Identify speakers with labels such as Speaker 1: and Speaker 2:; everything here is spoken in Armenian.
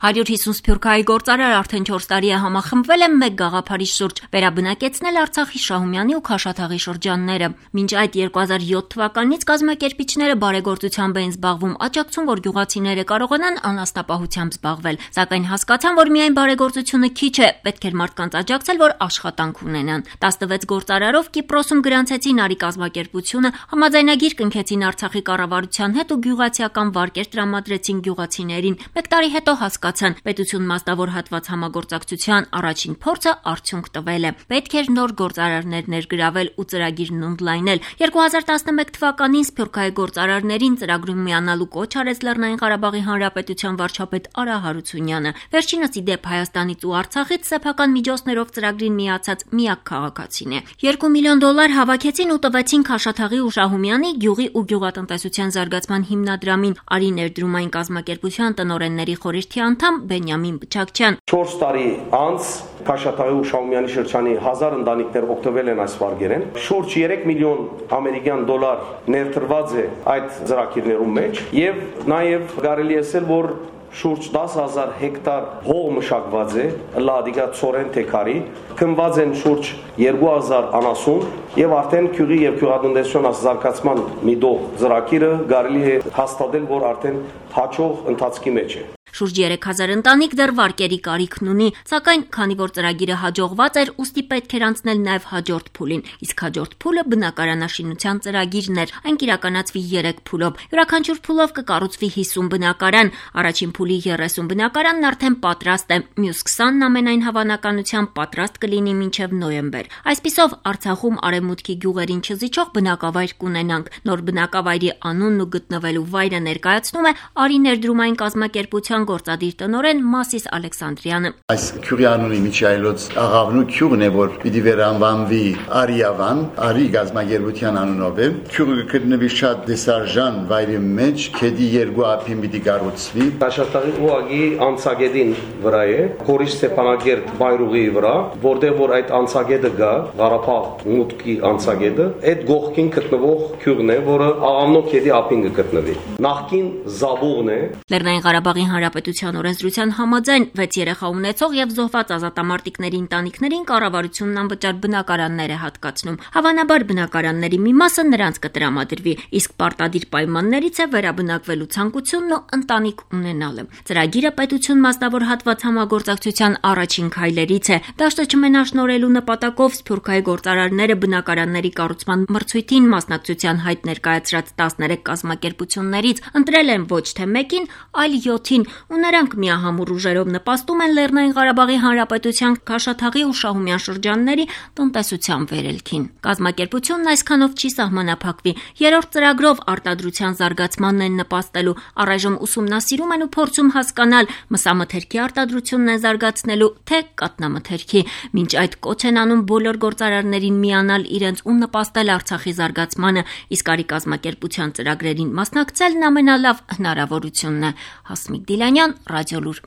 Speaker 1: 150 սփյուռքահայ գործարար արդեն 4 տարի է համախմբվել է մեկ գաղափարի շուրջ՝ վերաբնակեցնել Արցախի Շահումյանի ու Քաշաթաղի շրջանները։ Մինչ այդ 2007 թվականից կազմակերպիչները բարեգործությամբ էին զբաղվում, աջակցում, որ գյուղացիները կարողանան անասնապահությամբ զբաղվել, սակայն հասկացան, որ միայն բարեգործությունը քիչ է, պետք էր մարդկանց աջակցել, որ աշխատանք ունենան։ 16 գործարարով Կիպրոսում գրանցեցին արի կազմակերպությունը, համաձայնագիր կնքեցին Արցախի կառավարության հետ ու գյուղացիական վարկեր տրամադրեցին գյուղացիներին։ Մեկ տարի հետո հասկացան, պետություն մասնավոր հատված համագործակցության առաջին փորձը արդյունք տվել է։ Պետք էր նոր գործարարներ ներգրավել ու ծրագիրն ընդլայնել։ 2011 թվականին սփյուռքահայ գործարարներին ծրագրում միանալու կոչ արեց Լեռնային Ղարաբաղի Հանրապետության վարչապետ Արա Հարությունյանը։ Վերջինս ի դեպ Հայաստանից ու Արցախից սեփական միջոցներով ծրագրին միացած միակ քաղաքացին է։ $2 միլիոն հավաքեցին ու տվեցին Քաշաթաղի ու Շահումյանի գյուղի ու գյուղատնտեսության զարգացման հիմնադրամին։ Արի ներդրումային կազմակերպության տնօրենների խորհրդի անդամ Բենյամին Բչակչյան
Speaker 2: 4 տարի անց Քաշաթաղի ու Շահումյանի շրջանի 1000 ընտանիքներ օգտվել են այս վարկերեն։ Շուրջ 3 միլիոն ամերիկյան դոլար ներդրված է այդ ծրագիրներում մեջ եւ նաեւ կարելի է ասել, որ շուրջ 10,000 հեկտար հող մշակված է, լադիկա ծորեն թեկարի, քնված են շուրջ 2000 անասուն եւ արդեն քյուղի եւ գյուղատնտեսության զարգացման միտող ծրագիրը կարելի է հաստատել, որ արդեն հաջող ընթացքի մեջ է։
Speaker 1: Շուրջ 3000 ընտանիք դեռ վարկերի կարիքն ունի, սակայն քանի որ ծրագիրը հաջողված էր, ուստի պետք էր անցնել նաև հաջորդ փուլին, իսկ հաջորդ փուլը բնակարանաշինության ծրագիրն էր, այն կիրականացվի 3 փուլով։ Յուրաքանչյուր փուլով կկառուցվի 50 բնակարան, առաջին փուլի 30 բնակարանն արդեն պատրաստ է, մյուս 20-ն ամենայն հավանականությամբ պատրաստ կլինի մինչև նոյեմբեր։ Այսպիսով Արցախում արևմուտքի գյուղերին չզիջող բնակավայր կունենանք։ Նոր բնակավայրի անունն ու գտնվելու վայրը ներկայացնում է Արի ներդրումային կազմակերպության գործադիր տնօրեն Մասիս Ալեքսանդրյանը։
Speaker 3: Այս քյուղի անունի միջայլոց աղավնու քյուղն է, որ պիտի վերանվանվի Արիավան, Արի գազագերբության անունով է։ Քյուղը գտնվի շատ դեսարժան վայրի մեջ, քեդի 2 ափին պիտի կառուցվի։
Speaker 2: Քաշաթաղի ուղագի անցագետին վրա է, Խորիշ Ստեփանագերտ բայրուղի վրա, որտեղ որ այդ անցագետը գա, Ղարաբաղ մուտքի անցագետը, այդ գողքին գտնվող քյուղն է, որը աղավնու քեդի ափին կգտնվի։ Նախկին Զաբուղն է։
Speaker 1: Լեռնային Ղարաբաղի Հանրապետության օրենսդրության համաձայն 6 երեխա ունեցող եւ զոհված ազատամարտիկների ընտանիքներին կառավարությունն անվճար բնակարաններ է հատկացնում։ Հավանաբար բնակարանների մի մասը նրանց կտրամադրվի, իսկ պարտադիր պայմաններից է վերաբնակվելու ցանկությունն ու ընտանիք ունենալը։ Ծրագիրը պետություն մասնավոր հատված համագործակցության առաջին քայլերից է։ Դաշտը չմենաշնորհելու նպատակով սփյուռքահայ գործարարները բնակարանների կառուցման մրցույթին մասնակցության հայտ ներկայացրած 13 կազմակերպություններից ընտրել են ոչ թե մեկին, այլ 7-ին, ու նրանք միահամուռ ուժերով նպաստում են Լեռնային Ղարաբաղի Հանրապետության Քաշաթաղի ու Շահումյան շրջանների տնտեսության վերելքին։ Կազմակերպությունն այսքանով չի սահմանափակվի։ Երրորդ ծրագրով արտադրության զարգացմանն են նպաստելու։ Առայժմ ուսումնասիրում են ու փորձում հասկանալ մսամթերքի արտադրությունն են զարգացնելու, թե կաթնամթերքի։ Մինչ այդ կոչ են անում բոլոր գործարարներին միանալ իրենց ու նպաստել Արցախի զարգացմանը, իսկ արի կազմակերպության ծրագրերին մասնակցելն ամենալավ հնարավորությունն է։ Հասմիկ Դիլանյան, Ռադիոլուր։